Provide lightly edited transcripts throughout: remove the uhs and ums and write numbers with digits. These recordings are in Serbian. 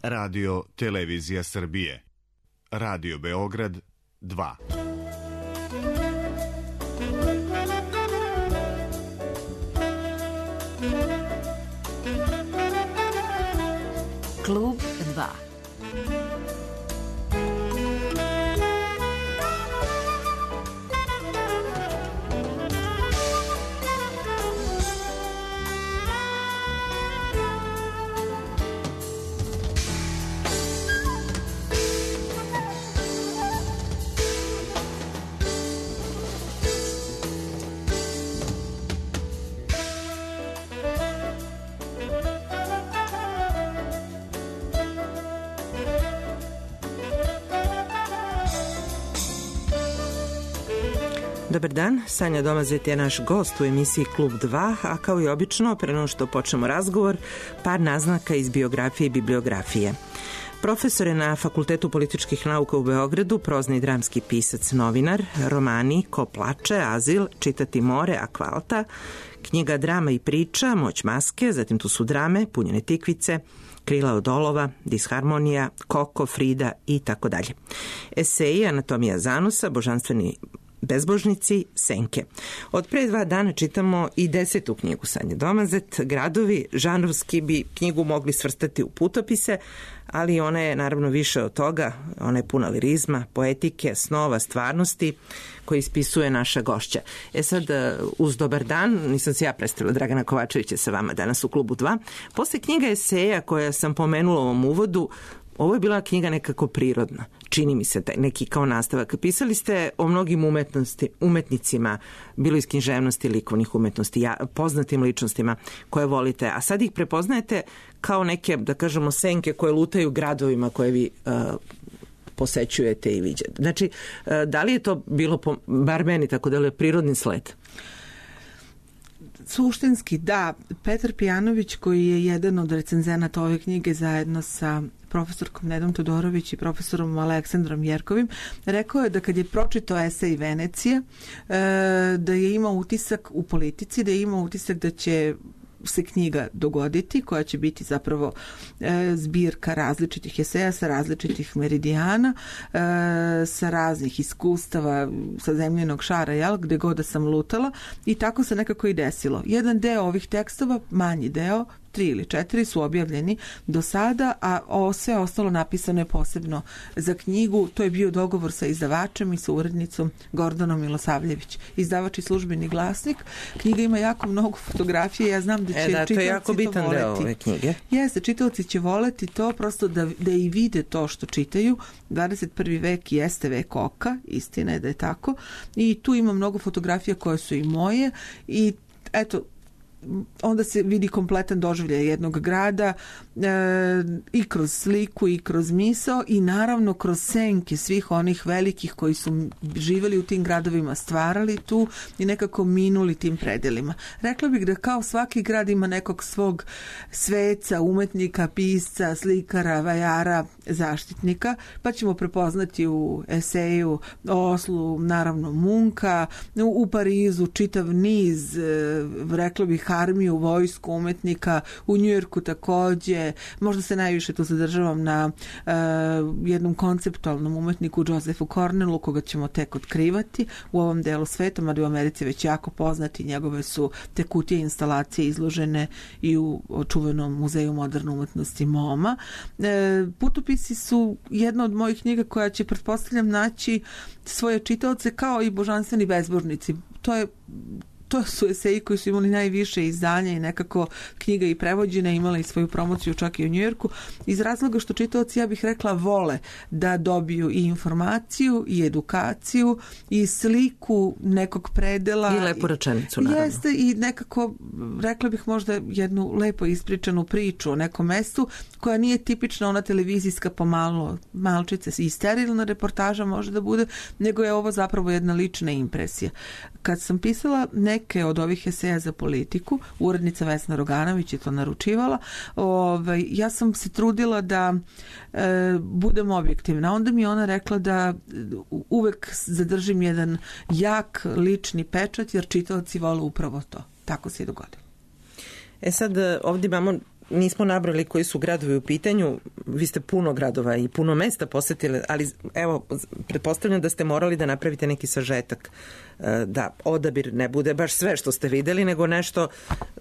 Radio Televizija Srbije. Radio Beograd 2. Klub 2. Dobar dan, Sanja Domazet je naš gost u emisiji Klub 2, a kao i obično, pre nego što počnemo razgovor, par naznaka iz biografije i bibliografije. Profesor je na Fakultetu političkih nauka u Beogradu, prozni i dramski pisac, novinar, romani Ko plače, Azil, Čitati more, Akvalta, knjiga Drama i priča, Moć maske, zatim tu su drame, Punjene tikvice, Krila od olova, Disharmonija, Koko, Frida i tako dalje. Eseji, Anatomija zanosa, Božanstveni bezbožnici, Senke. Od pre 2 dana čitamo i 10. knjigu Sanje Domazet, Gradovi. Žanrovski bi knjigu mogli svrstati u putopise, ali ona je naravno više od toga. Ona je puna lirizma, poetike, snova, stvarnosti koji ispisuje naša gošća. Sad, uz dobar dan, nisam se ja predstavila, Dragana Kovačević je sa vama danas u Klubu 2. Posle knjiga eseja koja sam pomenula u ovom uvodu, ovo je bila knjiga nekako prirodna. Čini mi se neki kao nastavak. Pisali ste o mnogim umetnicima, bilo iz književnosti, likovnih umetnosti, poznatim ličnostima koje volite, a sad ih prepoznajete kao neke, da kažemo, senke koje lutaju gradovima koje vi posećujete i viđate. Znači, da li je to bilo, bar meni tako da je prirodni sled? Suštinski, da. Petar Pijanović, koji je jedan od recenzenata ove knjige zajedno sa profesorkom Nedom Todorović i profesorom Aleksandrom Jerkovim, rekao je da kad je pročitao esej Venecija, da je imao utisak u politici, da je imao utisak da će se knjiga dogoditi, koja će biti zapravo zbirka različitih eseja sa različitih meridijana, sa raznih iskustava sa zemljenog šara, gde god da sam lutala, i tako se nekako i desilo. Jedan deo ovih tekstova, manji deo, 3 ili 4 su objavljeni do sada, a sve ostalo napisano je posebno za knjigu. To je bio dogovor sa izdavačem i sa urednicom Gordanom Milosavljević. Izdavač i Službeni glasnik. Knjiga ima jako mnogo fotografije, ja znam da će čitaoci to voleti. To je jako bitan deo ove knjige. Jeste, čitaoci će voleti to, prosto da i vide to što čitaju. 21. vek jeste vek oka, istina je da je tako. I tu ima mnogo fotografija koje su i moje i eto, onda se vidi kompletan doživljaj jednog grada i kroz sliku i kroz misao i naravno kroz senke svih onih velikih koji su živjeli u tim gradovima, stvarali tu i nekako minuli tim predelima. Rekla bih da kao svaki grad ima nekog svog sveca, umetnika, pisca, slikara, vajara, zaštitnika, pa ćemo prepoznati u eseju Oslu naravno Munka, u Parizu čitav niz, rekla bih, armiju, vojsku umetnika, u Njujorku takođe, možda se najviše tu zadržavam na jednom konceptualnom umetniku Josephu Cornellu, koga ćemo tek otkrivati u ovom delu sveta, mada u Americi već jako poznati, njegove su te kutije instalacije izložene i u čuvenom muzeju moderne umetnosti MoMA. Putopisi su jedna od mojih knjiga koja će, pretpostavljam, naći svoje čitaoce kao i Božanstveni bezbožnici. To su eseji koji su imali najviše izdanja i nekako knjiga i prevođena, imala i svoju promociju čak i u Njujorku, iz razloga što čitaoci, ja bih rekla, vole da dobiju i informaciju i edukaciju i sliku nekog predela. I lepu rečenicu, naravno. Jeste, i nekako, rekla bih, možda jednu lepo ispričanu priču o nekom mestu koja nije tipična ona televizijska pomalo malčice i sterilna reportaža može da bude, nego je ovo zapravo jedna lična impresija. Kad sam pisala neke od ovih eseja za politiku, urednica Vesna Roganović je to naručivala, ja sam se trudila da budem objektivna. Onda mi je ona rekla da uvek zadržim jedan jak lični pečat, jer čitaoci vole upravo to. Tako se i dogodilo. Sad ovdje imamo nismo nabrali koji su gradovi u pitanju, vi ste puno gradova i puno mesta posetili, ali evo, pretpostavljam da ste morali da napravite neki sažetak, da odabir ne bude baš sve što ste videli, nego nešto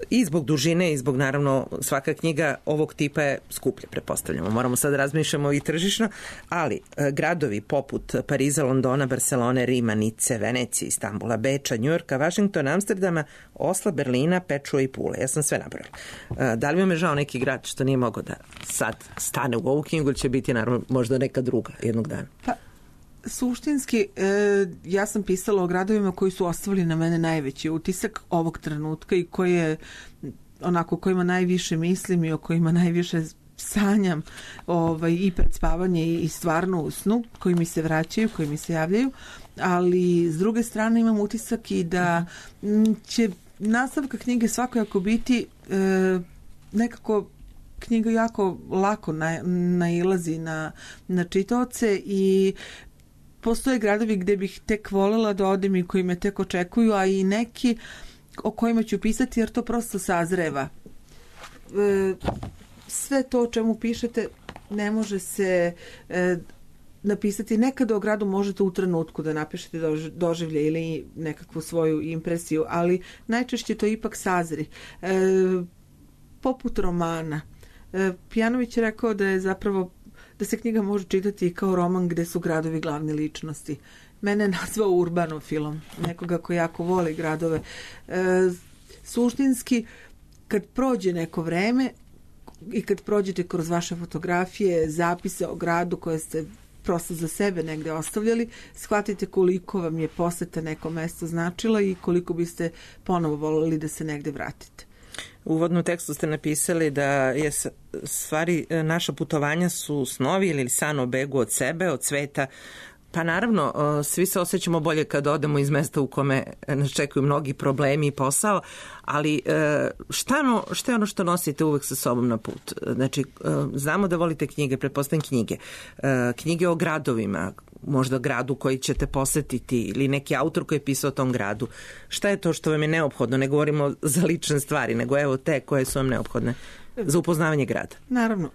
i zbog dužine i zbog, naravno, svaka knjiga ovog tipa je skuplja, pretpostavljamo. Moramo sad razmišljamo i tržišno, ali gradovi poput Pariza, Londona, Barcelone, Rima, Nice, Venecije, Istanbula, Beča, Njujorka, Vašingtona, Amsterdama, Osla, Berlina, Pečua i Pule. Ja sam sve nabrala. Da li vam je žao neki grad što nije mogao da sad stane u ovu knjigu ili će biti, naravno, možda neka druga jednog dana? Pa, suštinski, ja sam pisala o gradovima koji su ostavili na mene najveći utisak ovog trenutka i kojima najviše mislim i o kojima najviše sanjam i pred spavanje i stvarno u snu, koji mi se vraćaju, koji mi se javljaju, ali s druge strane imam utisak i da će nastavka knjige svakako biti nekako knjiga jako lako nailazi na čitaoce i postoje gradovi gde bih tek voljela da odem i koji me tek očekuju, a i neki o kojima ću pisati jer to prosto sazreva. Sve to o čemu pišete ne može se napisati. Nekada o gradu možete u trenutku da napišete doživlje ili nekakvu svoju impresiju, ali najčešće to ipak sazri. Poput romana. Pijanović je rekao da je zapravo da se knjiga može čitati kao roman gde su gradovi glavne ličnosti. Mene je nazvao urbanofilom, nekoga ko jako voli gradove. Suštinski, kad prođe neko vreme i kad prođete kroz vaše fotografije, zapise o gradu koje ste prosto za sebe negde ostavljali, shvatite koliko vam je poseta neko mesto značila i koliko biste ponovo voljeli da se negde vratite. U uvodnom tekstu ste napisali da je stvari naša putovanja su snovi ili san o begu od sebe, od sveta. Pa naravno, svi se osjećamo bolje kad odemo iz mesta u kome nas čekaju mnogi problemi i posao, ali šta je ono što nosite uvek sa sobom na put? Znači, znamo da volite knjige, pretpostavljam knjige. Knjige o gradovima, možda gradu koji ćete posetiti ili neki autor koji je pisao o tom gradu. Šta je to što vam je neophodno? Ne govorimo za lične stvari, nego evo te koje su vam neophodne za upoznavanje grada. Naravno,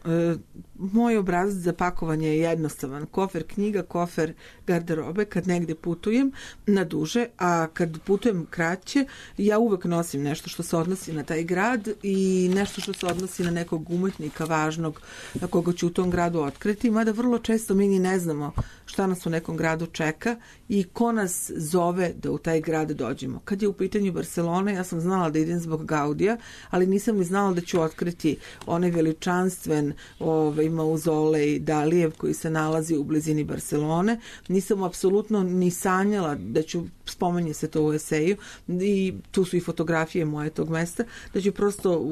moj obrazac za pakovanje je jednostavan. Kofer knjiga, kofer garderobe kad negde putujem na duže, a kad putujem kraće, ja uvek nosim nešto što se odnosi na taj grad i nešto što se odnosi na nekog umetnika važnog na koga ću u tom gradu otkriti, mada vrlo često mi ni ne znamo šta nas u nekom gradu čeka i ko nas zove da u taj grad dođemo. Kad je u pitanju Barcelona, ja sam znala da idem zbog Gaudija, ali nisam ni znala da ću otkriti onaj veličanstven mauzolej Dalijev koji se nalazi u blizini Barcelone. Nisam apsolutno ni sanjala da ću, spomenje se to u eseju, i tu su i fotografije moje tog mesta, da ću prosto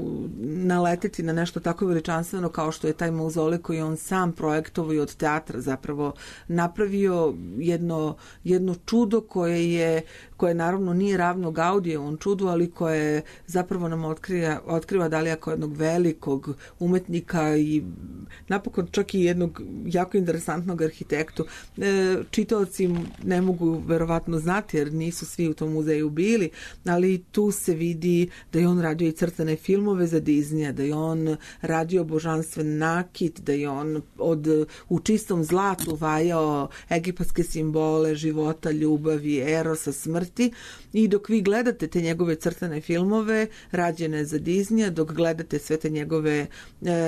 naleteti na nešto tako veličanstveno kao što je taj mauzolej koji on sam projektovao i od teatra zapravo napravio jedno čudo koje naravno nije ravno Gaudijevom čudu, ali koje zapravo nam otkriva Dalija kao jednog velikog umetnika i napokon čak i jednog jako interesantnog arhitektu. Čitaoci ne mogu verovatno znati jer nisu svi u tom muzeju bili, ali tu se vidi da je on radio i crtane filmove za Disneya, da je on radio božanstven nakit, da je on u čistom zlatu vajao egipatske simbole života, ljubavi, erosa, smrti, i dok vi gledate te njegove crtane filmove rađene za Disneya, dok gledate sve te njegove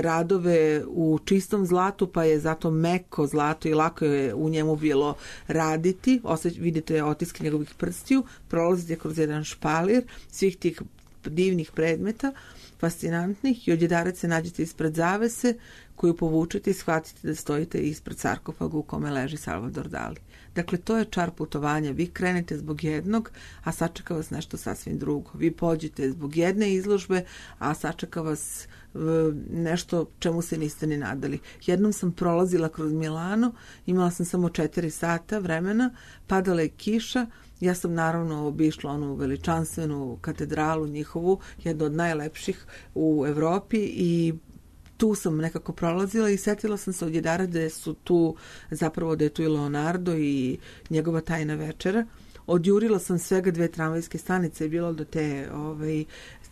radove u čistom zlatu, pa je zato meko zlato i lako je u njemu bilo raditi, vidite otiske njegovih prstiju, prolazite kroz jedan špalir svih tih divnih predmeta, fascinantnih, i odjedarat se nađete ispred zavese koju povučete i shvatite da stojite ispred sarkofaga u kome leži Salvador Dali. Dakle, to je čar putovanja. Vi krenete zbog jednog, a sačeka vas nešto sasvim drugo. Vi pođete zbog jedne izložbe, a sačeka vas nešto čemu se niste ni nadali. Jednom sam prolazila kroz Milano, imala sam samo 4 sata vremena, padala je kiša, ja sam naravno obišla onu veličanstvenu katedralu njihovu, jednu od najlepših u Evropi, i tu sam nekako prolazila i setila sam se odjedara da je tu i Leonardo i njegova tajna večera. Odjurila sam svega 2 tramvajske stanice i bilo do te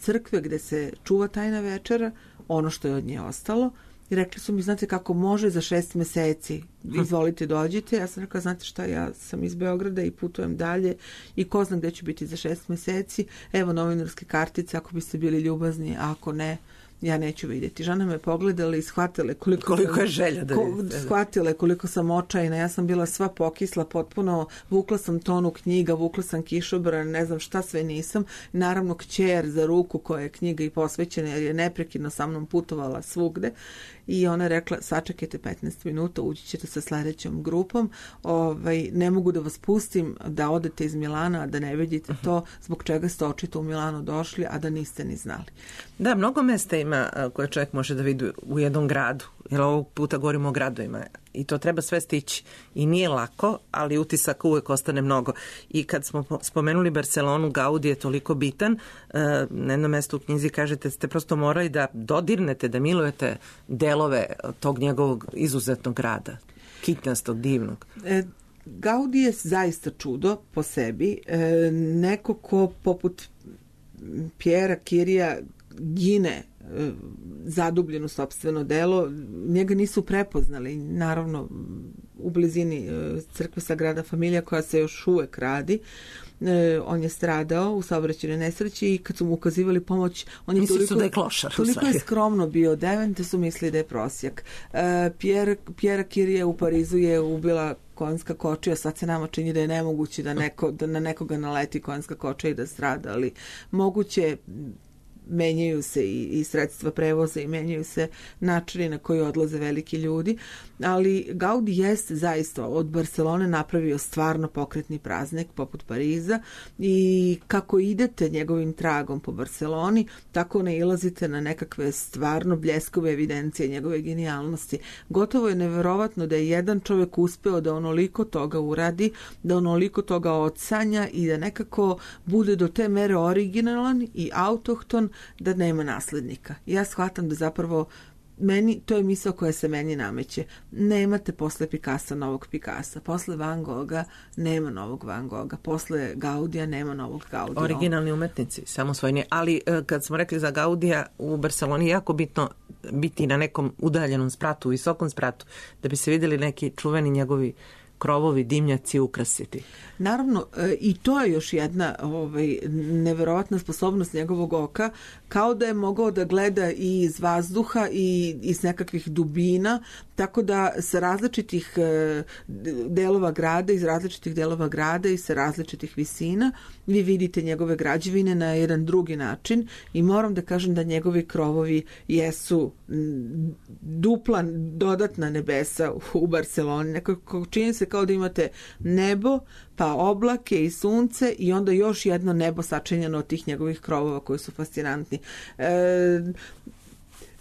crkve gde se čuva tajna večera. ono što je od nje ostalo. I rekli su mi, znate kako može za 6 meseci, izvolite dođite. Ja sam rekla, znate šta, ja sam iz Beograda i putujem dalje i ko zna gde ću biti za 6 meseci. Evo novinarske kartice, ako biste bili ljubazni, a ako ne, ja neću vidjeti. Žena me pogledala i shvatile koliko je želja da vidite. Shvatile koliko sam očajna. Ja sam bila sva pokisla, potpuno vukla sam tonu knjiga, vukla sam kišobran, ne znam šta sve nisam. Naravno kćer za ruku koja je knjiga i posvećena jer je neprekidno sa mnom putovala svugde. I ona je rekla, sačekajte 15 minuta, ući ćete sa sledećom grupom, ne mogu da vas pustim da odete iz Milana, a da ne vidite to zbog čega ste očito u Milano došli, a da niste ni znali. Da, mnogo mesta ima koje čovjek može da vidi u jednom gradu, jer ovog puta govorimo o gradovima i to treba sve stići. I nije lako, ali utisak uvek ostane mnogo. I kad smo spomenuli Barcelonu, Gaudi je toliko bitan, na jednom mestu u knjizi kažete ste prosto morali da dodirnete, da milujete delove tog njegovog izuzetnog grada, kitnastog, divnog. Gaudi je zaista čudo po sebi, neko ko poput Pjera Kirija gine zadubljen u sopstveno delo, njega nisu prepoznali, naravno u blizini crkve Sagrada Familija koja se još uvek radi. On je stradao u saobraćajnoj nesreći i kad su mu ukazivali pomoć, on je toliko je skromno bio odeven da su mislili da je prosjak. Pjera Kirija u Parizu je ubila konjska kočija, sad se nama čini da je nemoguće da na nekoga naleti konjska kočija i da strada, ali moguće. Menjaju se i sredstva prevoza i menjaju se načini na koji odlaze veliki ljudi, ali Gaudi jeste zaista od Barcelone napravio stvarno pokretni praznik poput Pariza i kako idete njegovim tragom po Barceloni, tako nailazite na nekakve stvarno bljeskove evidencije njegove genijalnosti. Gotovo je neverovatno da je jedan čovjek uspeo da onoliko toga uradi, da onoliko toga odsanja i da nekako bude do te mere originalan i autohton da nema naslednika. Ja shvatam da zapravo to je misao koja se meni nameće. Nemate posle Picassa novog Picassa, posle Van Gogha nema novog Van Gogha, posle Gaudija nema novog Gaudija. Originalni umetnici, samosvojni. Ali kad smo rekli za Gaudija, u Barceloni je jako bitno biti na nekom udaljenom spratu, visokom spratu, da bi se vidjeli neki čuveni njegovi krovovi, dimnjaci ukrasiti. Naravno, i to je još jedna neverovatna sposobnost njegovog oka, kao da je mogao da gleda i iz vazduha i iz nekakvih dubina, tako da sa različitih delova grada, iz različitih delova grada i sa različitih visina, vi vidite njegove građevine na jedan drugi način i moram da kažem da njegovi krovovi jesu dupla, dodatna nebesa u Barceloni. Nekako čini se kao da imate nebo, pa oblake i sunce i onda još jedno nebo sačinjeno od tih njegovih krovova koji su fascinantni.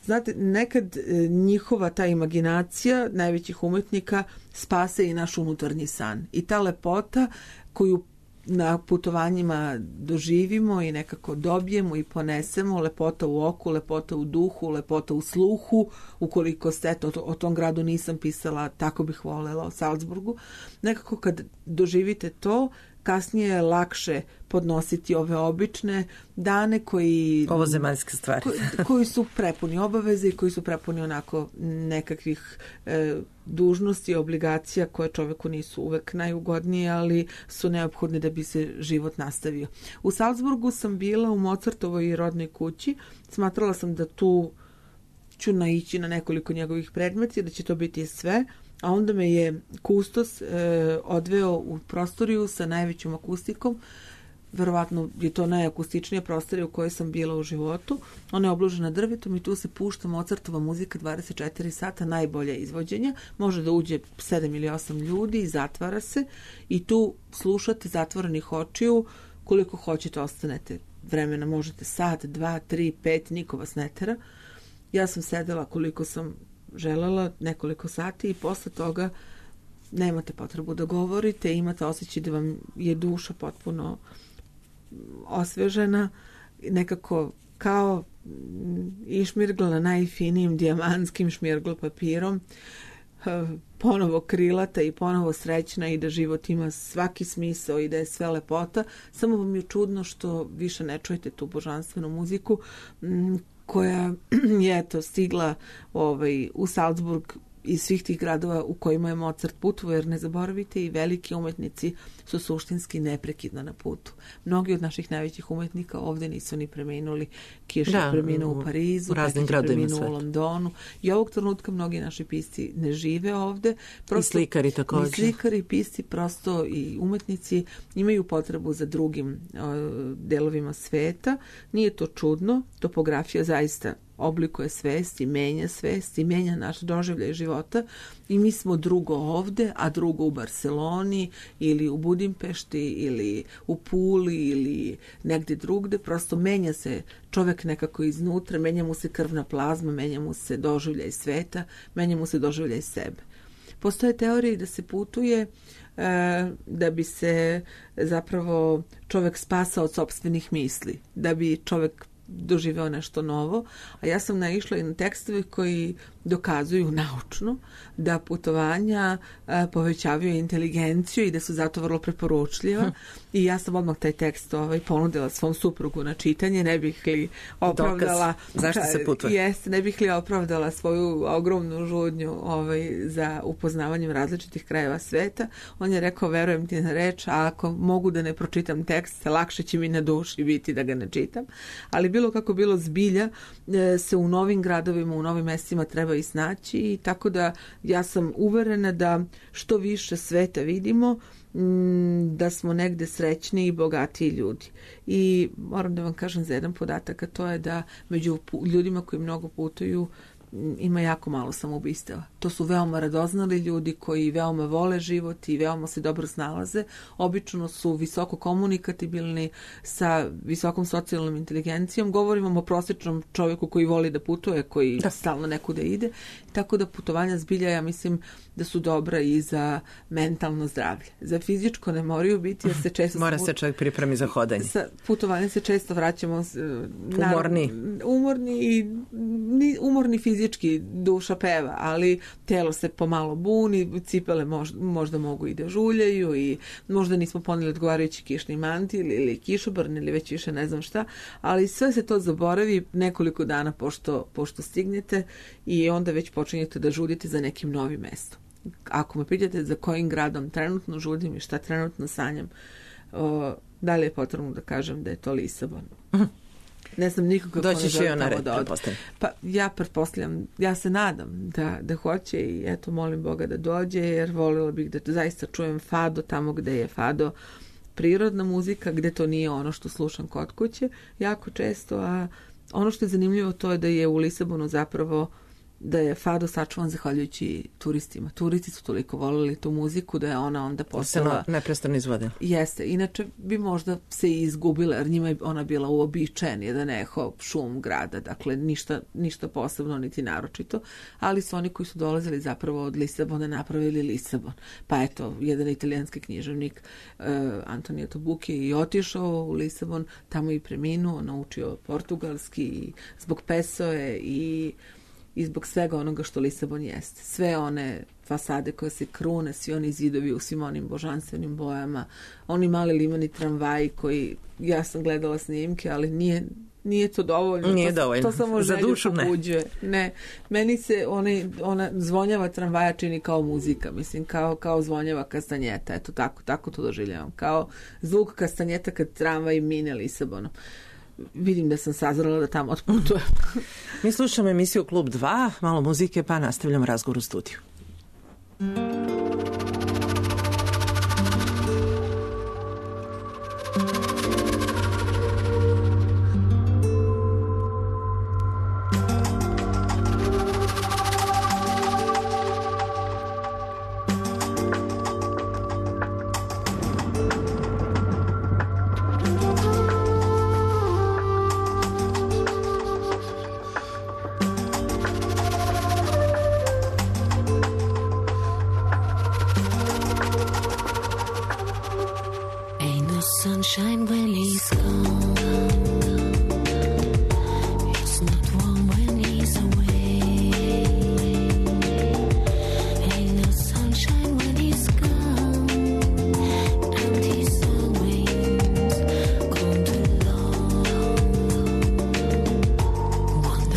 Znate, nekad njihova ta imaginacija najvećih umetnika spase i naš unutarnji san. I ta lepota koju na putovanjima doživimo i nekako dobijemo i ponesemo, lepota u oku, lepota u duhu, lepota u sluhu, ukoliko ste, o tom gradu nisam pisala, tako bih volela o Salzburgu. Nekako kad doživite to, kasnije je lakše podnositi ove obične dane koji... Ovozemaljske stvari. koji su prepuni obaveze i koji su prepuni onako nekakvih dužnosti i obligacija koje čoveku nisu uvek najugodnije, ali su neophodne da bi se život nastavio. U Salzburgu sam bila u Mozartovoj rodnoj kući. Smatrala sam da tu ću naići na nekoliko njegovih predmeta, da će to biti sve. A onda me je kustos odveo u prostoriju sa najvećom akustikom. Verovatno je to najakustičnija prostorija u kojoj sam bila u životu. Ona je obložena drvetom i tu se pušta Mozartova muzika 24 sata, najbolje izvođenja. Može da uđe 7 ili 8 ljudi i zatvara se. I tu slušate zatvorenih očiju koliko hoćete, ostanete vremena. Možete sat, 2, 3, 5, niko vas ne tera. Ja sam sedela koliko sam želela, nekoliko sati i posle toga nemate potrebu da govorite, imate osjećaj da vam je duša potpuno osvežena, nekako kao išmirgla najfinijim dijamantskim šmirgl papirom, ponovo krilata i ponovo srećna i da život ima svaki smisao i da je sve lepota. Samo vam je čudno što više ne čujete tu božanstvenu muziku koja je eto stigla u Salzburg iz svih tih gradova u kojima je Mozart putovao, jer ne zaboravite i veliki umetnici su suštinski neprekidno na putu. Mnogi od naših najvećih umetnika ovde nisu ni preminuli. Kirš je preminuo u Parizu, Pekić je preminuo u Londonu i ovog trenutka mnogi naši pisci ne žive ovde. Prosto, i slikari također. I slikari, pisci, prosto i umetnici imaju potrebu za drugim delovima sveta. Nije to čudno, topografija zaista oblikuje svest i menja naš doživljaj života i mi smo drugo ovde, a drugo u Barceloni ili u Budimpešti ili u Puli ili negdje drugde. Prosto menja se čovek nekako iznutra, menja mu se krvna plazma, menja mu se doživljaj sveta, menja mu se doživljaj sebe. Postoje teorije da se putuje da bi se zapravo čovek spasao od sopstvenih misli, da bi čovek doživeo nešto novo, a ja sam naišla i na tekstove koji dokazuju naučno da putovanja povećavaju inteligenciju i da su zato vrlo preporučljiva. I ja sam odmah taj tekst ponudila svom suprugu na čitanje, ne bih li opravdala zašto se putuje. Jeste, ne bih li opravdala svoju ogromnu žudnju za upoznavanjem različitih krajeva sveta. On je rekao, verujem ti na reč, a ako mogu da ne pročitam tekst, lakše će mi na duši biti da ga ne čitam. Ali bilo kako bilo, zbilja se u novim gradovima, u novim mestima treba i snaći, i tako da ja sam uverena da što više sveta vidimo, da smo negde srećni i bogatiji ljudi. I moram da vam kažem za jedan podatak, a to je da među ljudima koji mnogo putuju ima jako malo samoubistava. To su veoma radoznali ljudi koji veoma vole život i veoma se dobro snalaze. Obično su visoko komunikabilni sa visokom socijalnom inteligencijom. Govorimo o prosječnom čovjeku koji voli da putuje, koji stalno nekuda ide. Tako da putovanja zbilja, ja mislim da su dobra i za mentalno zdravlje. Za fizičko ne moraju biti, jer se često... Mora se čovjek pripremi za hodanje. Sa putovanjem se često vraćamo umorni fizički, duša peva, ali telo se pomalo buni, cipele možda mogu i da žuljaju i možda nismo poneli odgovarajući kišni mantil ili kišobrn ili već više ne znam šta, ali sve se to zaboravi nekoliko dana pošto stignete i onda već počinjete da žudite za nekim novim mestom. Ako me pitate za kojim gradom trenutno žudim i šta trenutno sanjam, da li je potrebno da kažem da je to Lisabon? Ne znam nikoga ko ne želi tamo da ode. Pa ja pretpostavljam, ja se nadam da hoće i eto molim Boga da dođe, jer voljela bih da zaista čujem fado tamo gde je fado prirodna muzika, gde to nije ono što slušam kod kuće jako često, a ono što je zanimljivo to je da je u Lisabonu zapravo da je fado sačuvan zahvaljujući turistima. Turisti su toliko voljeli tu muziku da je ona onda postala... neprestano izvode. Jeste. Inače bi možda se i izgubila, jer njima je ona bila uobičajen jedan eho, šum grada. Dakle, ništa posebno niti naročito. Ali su oni koji su dolazili zapravo od Lisabona napravili Lisabon. Pa eto, jedan italijanski književnik Antonio Tabucchi je i otišao u Lisabon, tamo i preminuo, naučio portugalski i zbog Pessoe i zbog svega onoga što Lisabon jeste. Sve one fasade koje se krune, svi oni zidovi u svim onim božanstvenim bojama, oni mali limani tramvaji koji, ja sam gledala snimke, ali nije to dovoljno. Nije dovoljno. To samo za dušu pobuđuje. Ne. Meni se ona zvonjava tramvaja čini kao muzika, mislim, kao zvonjava kastanjeta. Eto, tako to doživljavam. Kao zvuk kastanjeta kad tramvaj mine Lisabonom. Vidim da sam sazrela da tamo otputujem. Mi slušamo emisiju Klub 2, malo muzike, pa nastavljamo razgovor u studiju. Sunshine when he's gone. It's not warm when he's away. Ain't no sunshine when he's gone. And he's always gone too long. One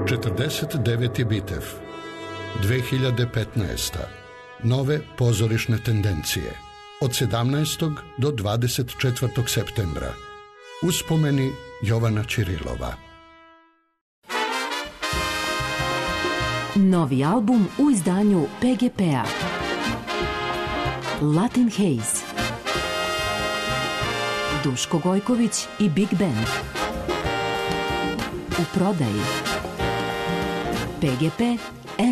49. Bitev, 2015. Nove pozorišne tendencije, od 17. do 24. septembra. Uspomeni Jovana Ćirilova. Novi album u izdanju PGP-a. Latin Haze. Duško Gojković i Big Band. U prodaji. PGP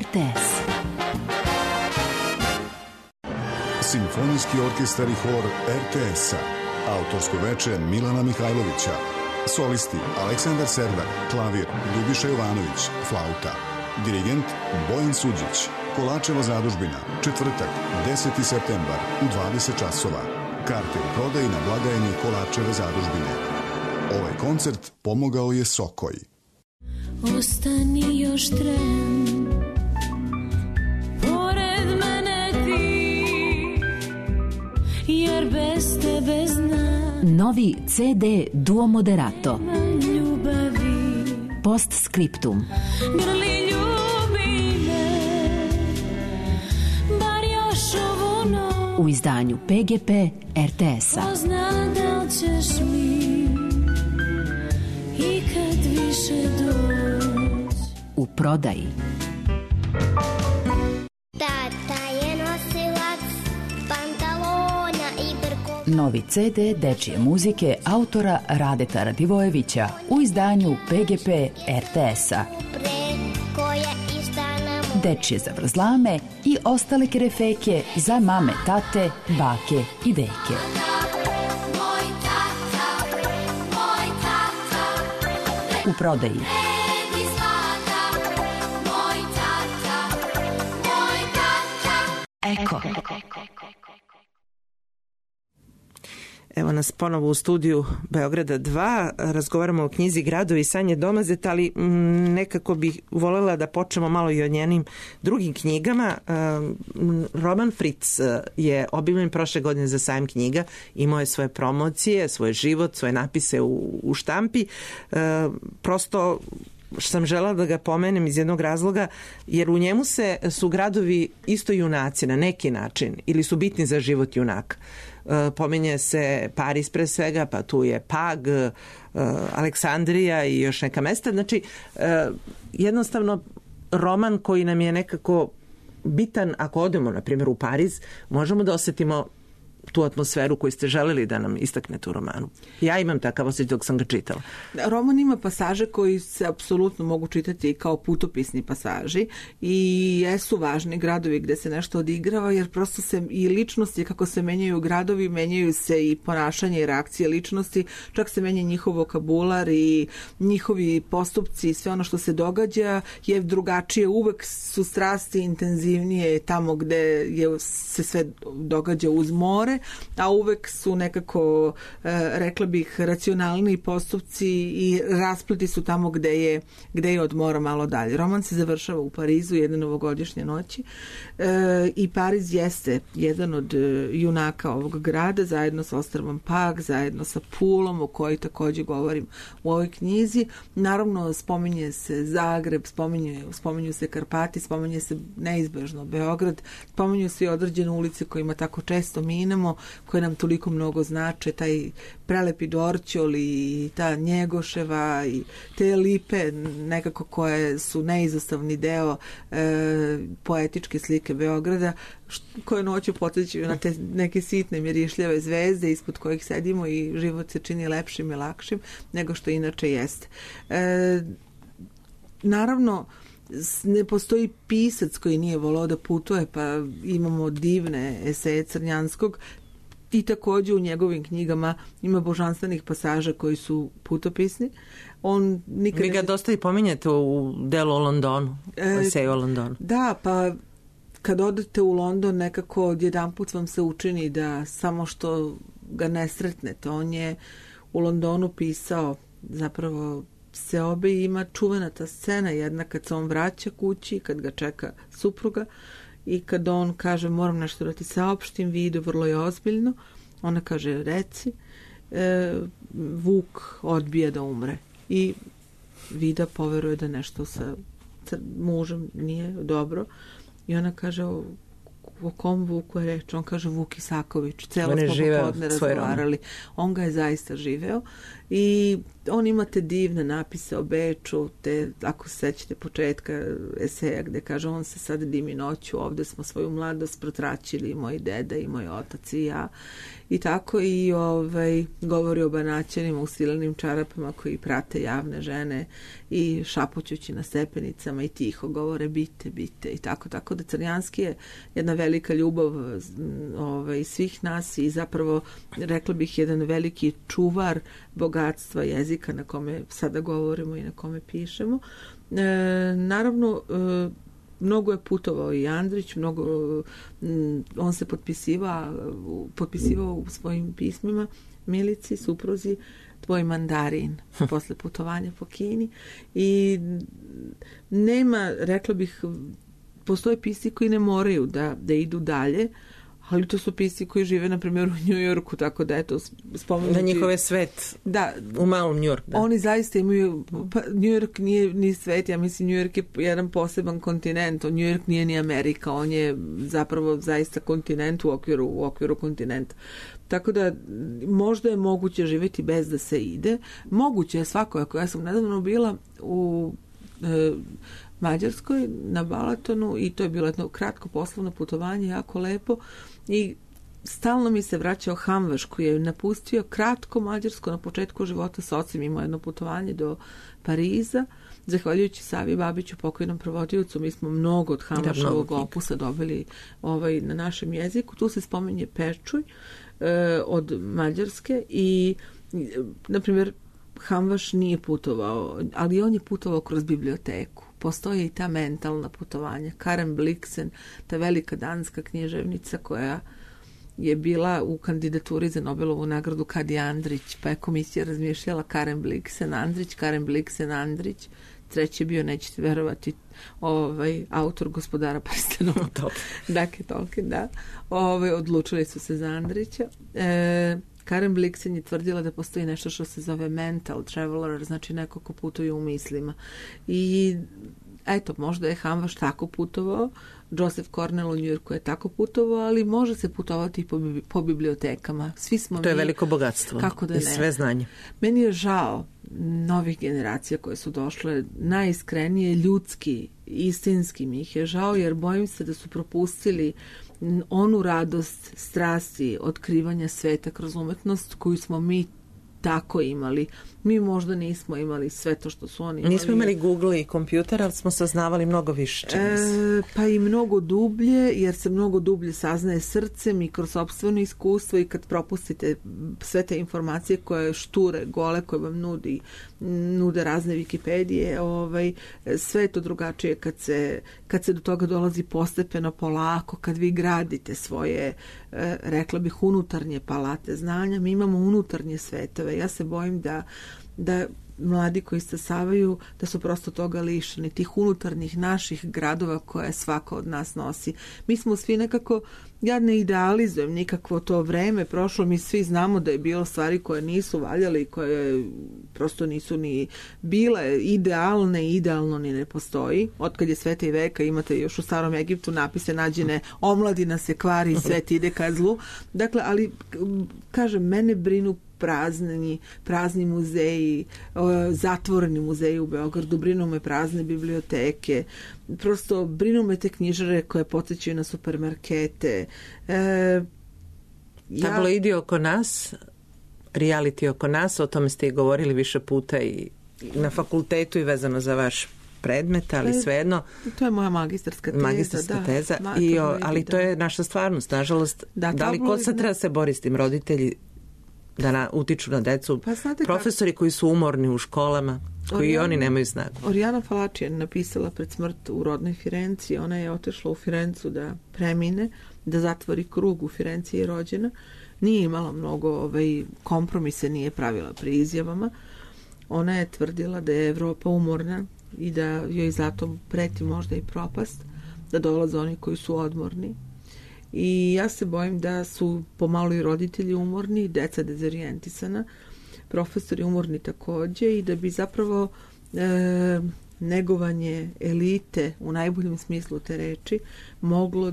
RTS. Simfonijski orkestar i hor RTS-a. Autorsko veče Milana Mihajlovića. Solisti Aleksandar Serdar, klavir Ljubiša Jovanović, flauta. Dirigent Bojan Suđić. Kolačeva zadužbina, četvrtak, 10. septembar u 20 časova. Karte u prodaji na blagajni Kolačeve zadužbine. Ovaj koncert pomogao je Sokoj. Ostani još tren, pored mene ti, jer bez tebe znam. Novi CD Duo Moderato. Ljubavi, Postscriptum. grli ljubi me, bar još ovu noć. U izdanju PGP RTS-a. Ko zna da li ćeš mi ikad više doć. U prodaji. Tata je nosilac pantalona i brko. Novi CD dečije muzike autora Radeta Radivojevića u izdanju PGP RTS-a. Preko je istana mu. Dečije zavrzlame i ostale kerefeke za mame, tate, bake i deke. Moj tata, U prodaji. neki zlata, moj tata. Eko. Evo nas ponovo u studiju Beograda 2, razgovaramo o knjizi Gradovi Sanje Domazet, ali nekako bih voljela da počnemo malo i o njenim drugim knjigama. Roman Fritz je objavljen prošle godine za sajam knjiga, imao je svoje promocije, svoj život, svoje napise u štampi. Prosto sam žela da ga pomenem iz jednog razloga, jer u njemu su gradovi isto junaci na neki način, ili su bitni za život junaka. Pominje se Pariz pre svega, pa tu je Pag, Aleksandrija i još neka mesta. Znači, jednostavno roman koji nam je nekako bitan, ako odemo, na primjer, u Pariz, možemo da osetimo tu atmosferu koju ste želeli da nam istaknete u romanu. Ja imam takav osjećaj dok sam ga čitala. Roman ima pasaže koji se apsolutno mogu čitati kao putopisni pasaži i jesu važni gradovi gde se nešto odigrava, jer prosto se i ličnosti, kako se menjaju gradovi, menjaju se i ponašanje i reakcije ličnosti, čak se menja njihov vokabular i njihovi postupci i sve ono što se događa je drugačije. Uvek su strasti intenzivnije tamo gde se sve događa uz more, a uvek su nekako, rekla bih, racionalni postupci i raspleti su tamo gde je od mora malo dalje. Roman se završava u Parizu jedne novogodišnje noći i Pariz jeste jedan od junaka ovog grada, zajedno sa ostrvom Pag, zajedno sa Pulom, o kojoj takođe govorim u ovoj knjizi. Naravno, spominje se Zagreb, spominju se Karpati, spominje se neizbežno Beograd, spominju se i određene ulice kojima tako često minemo, koje nam toliko mnogo znače, taj prelepi Dorćol i ta Njegoševa i te lipe nekako koje su neizostavni deo poetičke slike Beograda, koje noću podsjećaju na te neke sitne mirišljave zvezde ispod kojih sedimo i život se čini lepšim i lakšim nego što inače jeste. Naravno, ne postoji pisac koji nije volao da putuje, pa imamo divne eseje Crnjanskog i takođe u njegovim knjigama ima božanstvenih pasaža koji su putopisni. Vi ga dosta i pominjete u delu o Londonu, eseju o Londonu. Da, pa kad odete u London nekako odjedanput vam se učini da samo što ga ne sretnete. On je u Londonu pisao zapravo seobe i ima čuvena ta scena jedna kad se on vraća kući, kad ga čeka supruga i kad on kaže moram nešto da ti saopštim, vidu vrlo je ozbiljno, ona kaže reci, Vuk odbija da umre i Vida poveruje da nešto sa mužem nije dobro i ona kaže o kom Vuku je reč? On kaže Vuk Isaković. Celo smo popodne razgovarali. On ga je zaista živeo i on ima te divne napise o Beču, te, ako se sećate početka eseja gde kaže on se sad dimi noću, ovde smo svoju mladost protraćili, moj deda i moj otac i ja. I tako i govori o Banaćanima u silenim čarapama koji prate javne žene i šapućući na stepenicama i tiho govore bite i tako da Crnjanski je jedna velika ljubav svih nas i zapravo rekla bih jedan veliki čuvar bogatstva jezika na kome sada govorimo i na kome pišemo. Naravno, mnogo je putovao i Andrić, on se potpisivao u svojim pismima Milici, supruzi, tvoj mandarin posle putovanja po Kini i nema, rekla bih, postoje pisci koji ne moraju da idu dalje, ali to su pisci koji žive, na primjer, u Njujorku, tako da eto, spomenuti... Da njihove svet u malom Njujorku. Oni zaista imaju... Pa, Njujork nije ni svet, ja mislim, Njujork je jedan poseban kontinent. Njujork nije ni Amerika, on je zapravo zaista kontinent u okviru kontinenta. Tako da možda je moguće živjeti bez da se ide. Moguće je svakako. Ja sam nedavno bila u Mađarskoj na Balatonu i to je bilo jedno kratko poslovno putovanje, jako lepo i stalno mi se vraćao Hamvaš koji je napustio kratko Mađarsko na početku života sa ocem, imao jedno putovanje do Pariza. Zahvaljujući Savi Babiću, pokojnom prevodiocu, mi smo mnogo od Hamvašovog opusa dobili na našem jeziku. Tu se spominje Pečuj od Mađarske i, na primjer, Hamvaš nije putovao, ali on je putovao kroz biblioteku. Postoje i ta mentalna putovanja. Karen Blixen, ta velika danska književnica koja je bila u kandidaturi za Nobelovu nagradu kad je Andrić, pa je komisija razmišljala Karen Blixen, Andrić. Treći je bio, nećete verovati, autor Gospodara prstenova. Dakle, Tolkien, da. Odlučili su se za Andrića. Karen Blixen je tvrdila da postoji nešto što se zove mental traveler, znači neko ko putuje u mislima. I eto, možda je Hamvaš tako putovao, Joseph Cornell u Njujorku je tako putovao, ali može se putovati i po bibliotekama. Svi smo to je veliko bogatstvo kako da i sve znanje. Meni je žao novih generacija koje su došle, najiskrenije, ljudski, istinski mi ih je žao, jer bojim se da su propustili onu radost, strasti, otkrivanja sveta kroz umetnost koju smo mi tako imali. Mi možda nismo imali sve to što su oni imali. Nismo imali Google i kompjuter, ali smo saznavali mnogo više. Pa i mnogo dublje, jer se mnogo dublje saznaje srcem i kroz sopstveno iskustvo i kad propustite sve te informacije koje šture, gole, koje vam nude razne Wikipedije, sve je to drugačije kad se do toga dolazi postepeno, polako, kad vi gradite svoje, rekla bih, unutarnje palate znanja. Mi imamo unutarnje svetove. Ja se bojim da mladi koji stasavaju, da su prosto toga lišeni, tih unutarnjih naših gradova koje svako od nas nosi. Mi smo svi nekako, ja ne idealizujem nikakvo to vreme prošlo, mi svi znamo da je bilo stvari koje nisu valjale i koje prosto nisu ni bile idealne, idealno ni ne postoji. Otkad je sveta i veka, imate još u Starom Egiptu napise nađene, omladina se kvari, svet ide ka zlu. Dakle, ali kažem, mene brinu prazni muzeji, zatvoreni muzeji u Beogradu, brinu me prazne biblioteke, prosto brinu me te knjižare koje podsjećaju na supermarkete. Tabloidi oko nas, reality oko nas, o tome ste i govorili više puta i na fakultetu i vezano za vaš predmet, ali svejedno. To je moja magistarska teza. Ali to je naša stvarnost, nažalost. Da li ko sad treba se bori s tim, roditelji da utiču na decu, profesori koji su umorni u školama, koji oni nemaju snagu. Oriana Falači je napisala pred smrt u rodnoj Firenci, ona je otišla u Firencu da premine, da zatvori krug, u Firenci je rođena, nije imala mnogo kompromise, nije pravila pri izjavama. Ona je tvrdila da je Evropa umorna i da joj zato preti možda i propast, da dolaze oni koji su odmorni. I ja se bojim da su pomalo i roditelji umorni, deca dezorijentisana, profesori umorni takođe i da bi zapravo negovanje elite u najboljem smislu te reči moglo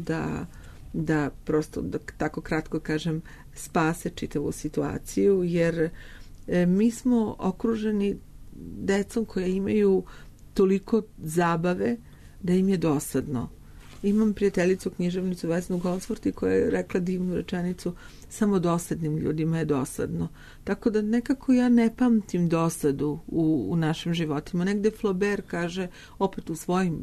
da prosto, da tako kratko kažem, spase čitavu situaciju, jer mi smo okruženi decom koja imaju toliko zabave da im je dosadno. Imam prijateljicu, književnicu Vesnu Goldsworthy, koja je rekla divnu rečenicu: samo dosadnim ljudima je dosadno. Tako da nekako ja ne pamtim dosadu u našim životima. Negde Flaubert kaže, opet u svojim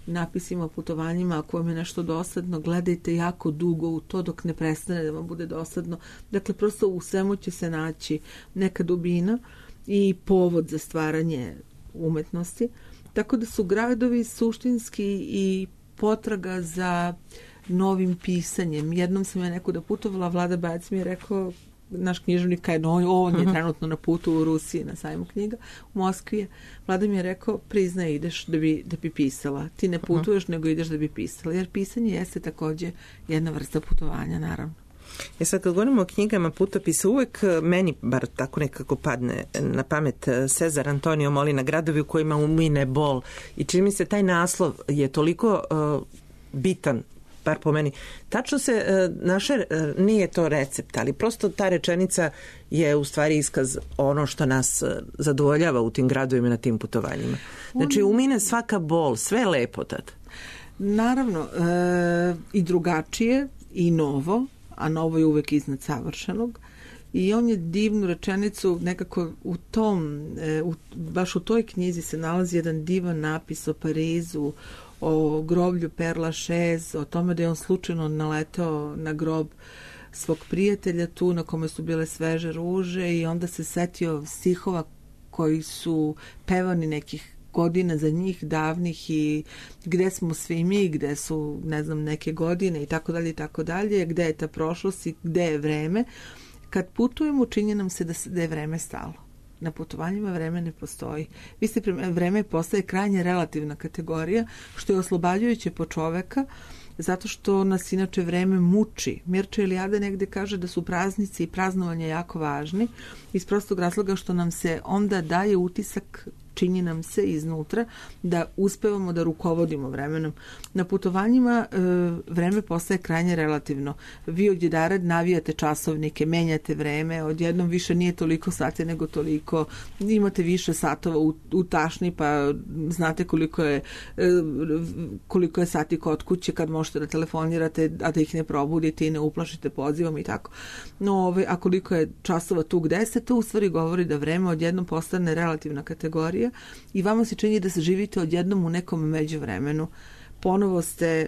napisima o putovanjima, ako vam je nešto dosadno, gledajte jako dugo u to dok ne prestane da vam bude dosadno. Dakle, prosto u svemu će se naći neka dubina i povod za stvaranje umetnosti. Tako da su gradovi suštinski i potraga za novim pisanjem. Jednom sam ja nekuda putovala, Vlada Bajac mi je rekao, naš književnik, on je trenutno na putu u Rusiji na sajmu knjiga u Moskvi. Vlada mi je rekao, priznaj, ideš da bi pisala. Ti ne putuješ, nego ideš da bi pisala. Jer pisanje jeste takođe jedna vrsta putovanja, naravno. Sad kad govorimo o knjigama putopisa, uvek meni bar tako nekako padne na pamet Cezar Antonio Molina, Gradovi u kojima umine bol, i čini mi se taj naslov je toliko bitan, bar po meni. Tačno se nije to recept, ali prosto ta rečenica je u stvari iskaz ono što nas zadovoljava u tim gradovima, na tim putovanjima. Znači umine svaka bol, sve je lepo tad. Naravno, i drugačije i novo, a novo je uvek iznad savršenog. I on je divnu rečenicu nekako baš u toj knjizi se nalazi jedan divan napis o Parizu, o groblju Père Lachaise, o tome da je on slučajno naleteo na grob svog prijatelja tu na kome su bile sveže ruže i onda se setio stihova koji su pevani nekih godina za njih davnih i gde smo svi mi, gde su, ne znam, neke godine i tako dalje, gde je ta prošlost i gde je vreme. Kad putujemo, čini nam se da je vreme stalo. Na putovanjima vreme ne postoji. Vreme postaje krajnje relativna kategorija, što je oslobađajuće po čoveka, zato što nas inače vreme muči. Mircea Eliade negde kaže da su praznici i praznovanja jako važni, iz prostog razloga što nam se onda daje utisak, čini nam se iznutra, da uspevamo da rukovodimo vremenom. Na putovanjima vreme postaje krajnje relativno. Vi odjedared navijate časovnike, menjate vreme, odjednom više nije toliko sati nego toliko, imate više satova u tašni, pa znate koliko je sati kod kuće kad možete da telefonirate, a da ih ne probudite i ne uplašite pozivom i tako. No, a koliko je časova tu gde se, to u stvari govori da vreme odjednom postane relativna kategorija i vama se čini da se živite odjednom u nekom međuvremenu. Ponovo ste,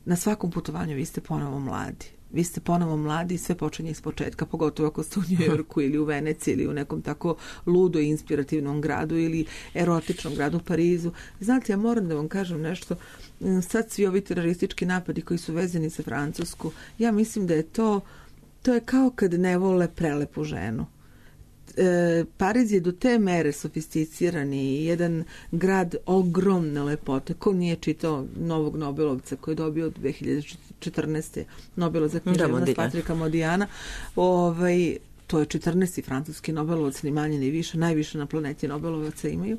na svakom putovanju vi ste ponovo mladi. Vi ste ponovo mladi i sve počinje iz početka, pogotovo ako ste u Njujorku ili u Veneciji ili u nekom tako ludo i inspirativnom gradu ili erotičnom gradu u Parizu. Znate, ja moram da vam kažem nešto, sad svi ovi teroristički napadi koji su vezani za Francusku, ja mislim da je to je kao kad ne vole prelepu ženu. Pariz je do te mere sofisticiran i jedan grad ogromne lepote. Ko nije čitao Novog Nobelovca koji je dobio od 2014. Nobela za književnost Patrika Modijana, to je 14. francuski Nobelovac, ni manje ni više, najviše na planeti Nobelovaca imaju.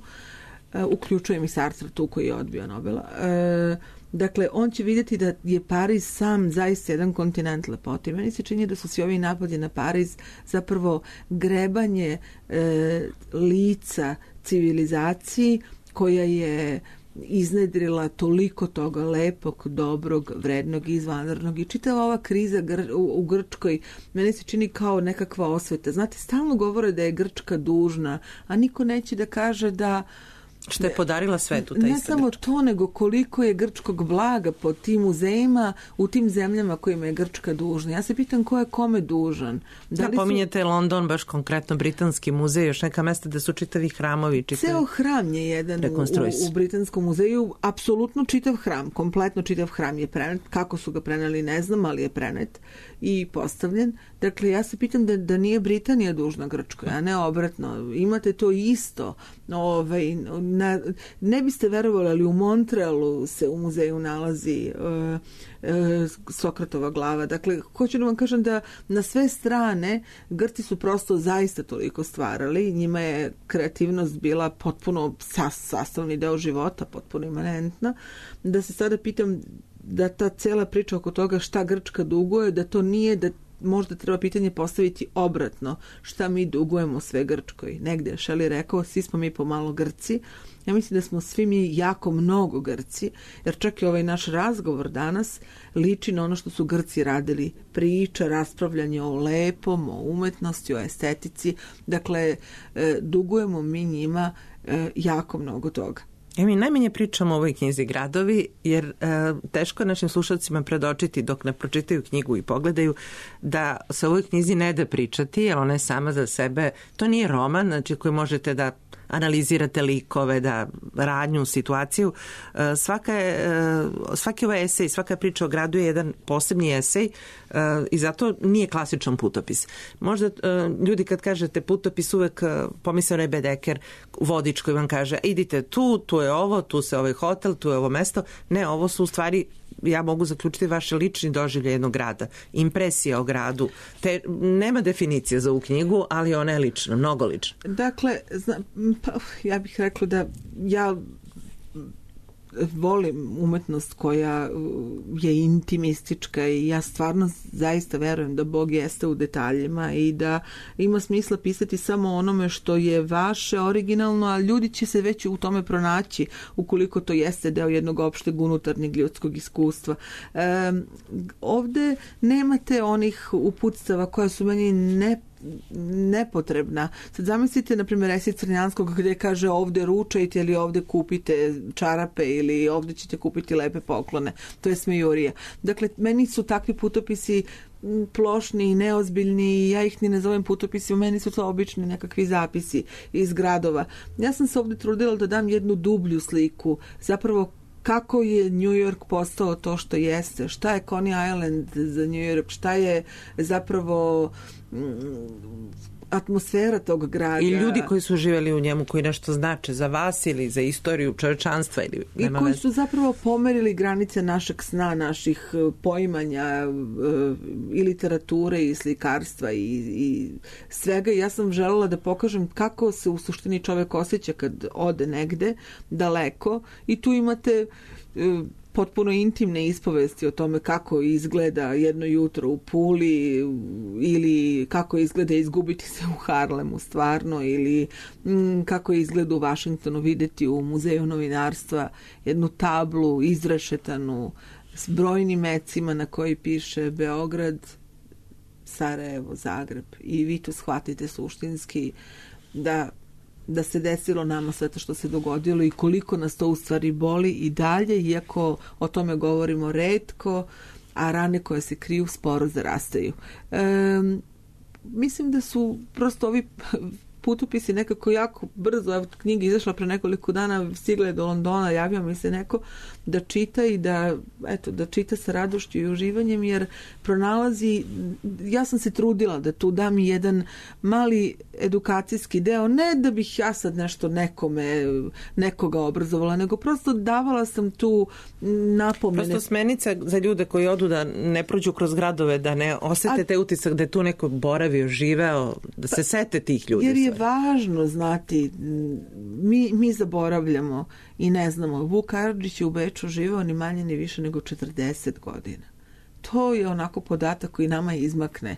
Uključujem i Sartre tu koji je odbio Nobela. Dakle, on će vidjeti da je Pariz sam zaista jedan kontinent lepote. Meni se čini da su svi ovi napadi na Pariz zapravo grebanje lica civilizaciji koja je iznedrila toliko toga lepog, dobrog, vrednog, izvanrednog i čitava ova kriza u Grčkoj meni se čini kao nekakva osveta. Znate, stalno govore da je Grčka dužna, a niko neće da kaže da što je podarila svetu ta ista. Ne samo to, nego koliko je grčkog blaga po tim muzejima u tim zemljama kojima je Grčka dužna. Ja se pitam ko je kome dužan. Pominjete London, baš konkretno Britanski muzej, još neka mesta da su čitavi hramovi. Ceo hram je jedan u Britanskom muzeju, apsolutno čitav hram, kompletno čitav hram je prenet. Kako su ga preneli ne znam, ali je prenet i postavljen. Dakle, ja se pitam da nije Britanija dužna Grčkoj, a ne obratno. Imate to isto Ne biste verovali, ali u Montrealu se u muzeju nalazi Sokratova glava. Dakle, hoću da vam kažem da na sve strane Grci su prosto zaista toliko stvarali, njima je kreativnost bila potpuno sastavni deo života, potpuno imanentna, da se sada pitam da ta cela priča oko toga šta Grčka duguje, da to nije, da možda treba pitanje postaviti obratno, šta mi dugujemo sve Grčkoj. Negde je Shelley rekao, svi smo mi pomalo Grci. Ja mislim da smo svi mi jako mnogo Grci, jer čak i ovaj naš razgovor danas liči na ono što su Grci radili. Priča, raspravljanje o lepom, o umetnosti, o estetici. Dakle, dugujemo mi njima jako mnogo toga. Mi najmanje pričamo o ovoj knjizi Gradovi, jer teško je našim slušalcima predočiti dok ne pročitaju knjigu i pogledaju da se o ovoj knjizi ne da pričati, jer ona je sama za sebe, to nije roman, znači koji možete da analizirate likove, da radnju, situaciju. Svaki ovaj esej, svaka priča o gradu je jedan posebni esej i zato nije klasičan putopis. Možda ljudi kad kažete putopis uvek pomisle onaj Bedeker, vodič koji vam kaže idite tu je ovo, tu se ovaj hotel, tu je ovo mesto. Ne, ovo su u stvari, ja mogu zaključiti, vaše lični doživlje jednog grada, impresija o gradu. Nema definicije za ovu knjigu, ali ona je lična, mnogo lična. Dakle, ja bih rekla da ja volim umetnost koja je intimistička i ja stvarno zaista verujem da Bog jeste u detaljima i da ima smisla pisati samo onome što je vaše, originalno, a ljudi će se već u tome pronaći ukoliko to jeste deo jednog opšteg unutarnjeg ljudskog iskustva. Ovde nemate onih uputstava koja su meni nepotrebna. Sad zamislite, na primjer, esej Crnjanskog gdje kaže ovde ručajte ili ovde kupite čarape ili ovde ćete kupiti lepe poklone. To je smejurija. Dakle, meni su takvi putopisi plošni i neozbiljni, ja ih ni ne zovem putopisima, meni su to obični nekakvi zapisi iz gradova. Ja sam se ovde trudila da dam jednu dublju sliku, zapravo kako je New York postao to što jeste, šta je Coney Island za New York, šta je zapravo atmosfera tog grada. I ljudi koji su živjeli u njemu, koji nešto znače za vas ili za istoriju čovječanstva. I koji su zapravo pomerili granice našeg sna, naših poimanja i literature i slikarstva i svega. Ja sam želela da pokažem kako se u suštini čovjek osjeća kad ode negde daleko i tu imate potpuno intimne ispovesti o tome kako izgleda jedno jutro u Puli ili kako izgleda izgubiti se u Harlemu stvarno ili kako izgleda u Vašingtonu videti u muzeju novinarstva jednu tablu izrešetanu s brojnim mecima na koji piše Beograd, Sarajevo, Zagreb i vi to shvatite suštinski da se desilo nama sve to što se dogodilo i koliko nas to u stvari boli i dalje, iako o tome govorimo retko, a rane koje se kriju sporo zarastaju. Mislim da su prosto ovi putopisi nekako jako brzo, evo knjiga izašla pre nekoliko dana, stigla je do Londona, javio mi se neko da čita i da čita sa radošću i uživanjem, jer pronalazi, ja sam se trudila da tu dam jedan mali edukacijski deo, ne da bih ja sad nešto nekoga obrazovala, nego prosto davala sam tu napomene. Prosto smernica za ljude koji odu da ne prođu kroz gradove, da ne osete te utisak da je tu neko boravio, živeo, da se sete tih ljudi. Jer je važno znati, mi zaboravljamo i ne znamo. Vuk Karadžić je u Beču živeo ni manje ni više nego 40 godina. To je onako podatak koji nama izmakne.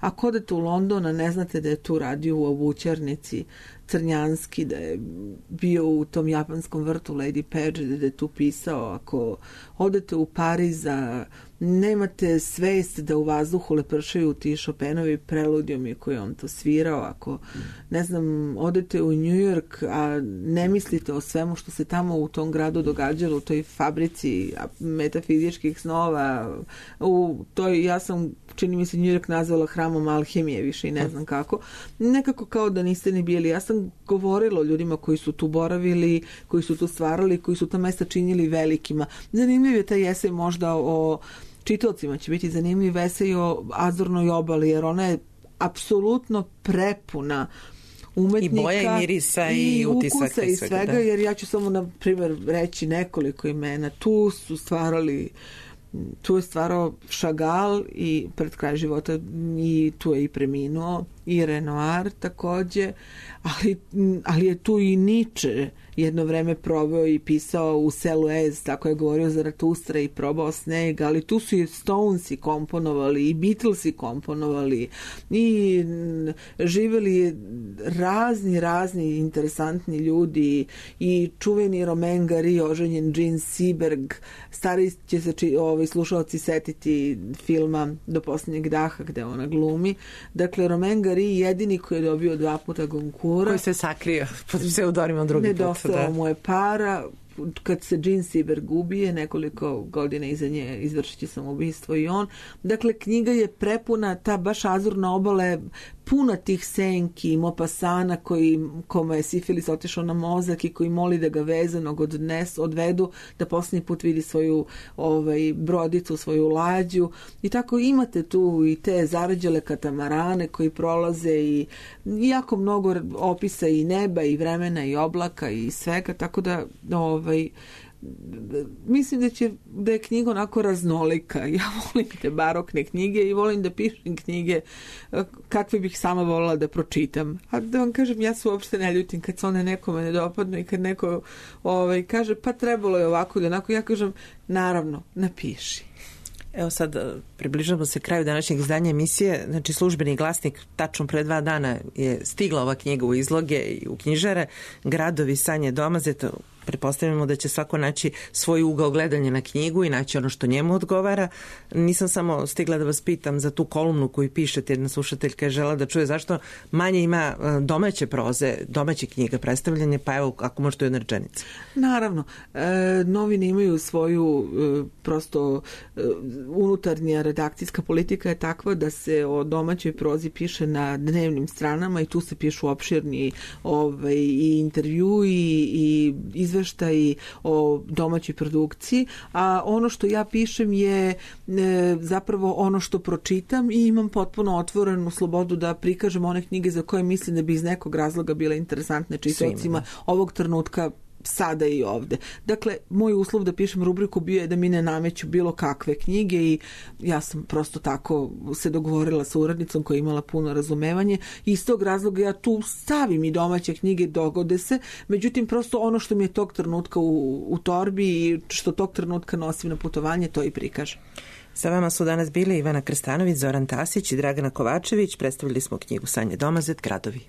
Ako odete u London, a ne znate da je tu radio u obućarnici Crnjanski, da je bio u tom japanskom vrtu Lady Paget, da je tu pisao, ako odete u Pariz, a nemate svest da u vazduhu lepršaju ti Chopinovi preludijumi koji on to svirao, ako, ne znam, odete u New York, a ne mislite o svemu što se tamo u tom gradu događalo, u toj fabrici metafizičkih snova, ja sam, čini mi se, New York nazvala hramom alhemije, više i ne znam kako. Nekako kao da niste ni bili. Ja sam govorila o ljudima koji su tu boravili, koji su tu stvarali, koji su ta mesta činili velikima. Zanimljiv je taj esej možda o čitaocima, će biti zanimljiv esej o Azornoj obali, jer ona je apsolutno prepuna umetnika. I boja i mirisa i utisaka ukusa i svega, da. jer ja ću samo na primjer reći nekoliko imena. Tu je stvarao Chagall i pred kraj života i tu je i preminuo, i Renoir takođe, ali je tu i Nietzsche jedno vreme proveo i pisao u selu Ez, tako je govorio Zaratustra i probao sneg, ali tu su i Stonesi komponovali i Beatlesi komponovali i živeli razni interesantni ljudi i čuveni Romain Gary, oženjen Jean Seberg, stari će se slušalci setiti filma Do posljednjeg daha gde ona glumi. Dakle, Romain Gary jedini koji je dobio 2 puta Goncourt, koji se sakrio pod pseudonimom drugi put. Nedostalo mu je para. Kad se Jean Seberg ubije, nekoliko godina iza nje izvršit će samoubistvo i on. Dakle, knjiga je prepuna, ta baš Azurna obala je puna tih senki, Maupassana kome je sifilis otišao na mozak i koji moli da ga vezanog odvedu, da posljednji put vidi svoju brodicu, svoju lađu. I tako imate tu i te zarađele katamarane koji prolaze i jako mnogo opisa i neba i vremena i oblaka i svega, tako da mislim da je knjiga onako raznolika. Ja volim te barokne knjige i volim da pišem knjige kakve bih sama volila da pročitam. A da vam kažem, ja se uopšte ne ljutim kad se one nekome ne dopadnu i kad neko kaže pa trebalo je ovako ili onako, ja kažem naravno, napiši. Evo sad približamo se kraju današnjeg izdanja emisije. Znači, Službeni glasnik tačno pre 2 dana je stigla ova knjiga u izloge i u knjižare. Gradovi Sanje Domazeta. Pretpostavljamo da će svako naći svoj ugao gledanja na knjigu i naći ono što njemu odgovara. Nisam samo stigla da vas pitam za tu kolumnu koju pišete, jedna slušateljka je žela da čuje zašto manje ima domaće proze, domaće knjiga, predstavljanje, pa evo ako možete u jednoj rečenici. Naravno, novine imaju svoju prosto unutarnja redakcijska politika je takva da se o domaćoj prozi piše na dnevnim stranama i tu se pišu opširni i intervju i izveštaj o domaćoj produkciji, a ono što ja pišem je zapravo ono što pročitam i imam potpuno otvorenu slobodu da prikažem one knjige za koje mislim da bi iz nekog razloga bile interesantne čitaocima ovog trenutka, sada i ovde. Dakle, moj uslov da pišem rubriku bio je da mi ne nameću bilo kakve knjige i ja sam prosto tako se dogovorila sa urednicom koja je imala puno razumevanje i iz tog razloga ja tu stavim i domaće knjige, dogode se, međutim prosto ono što mi je tog trenutka u torbi i što tog trenutka nosim na putovanje, to i prikažem. Sa vama su danas bili Ivana Krstanović, Zoran Tasić i Dragana Kovačević. Predstavili smo knjigu Sanje Domazet, Gradovi.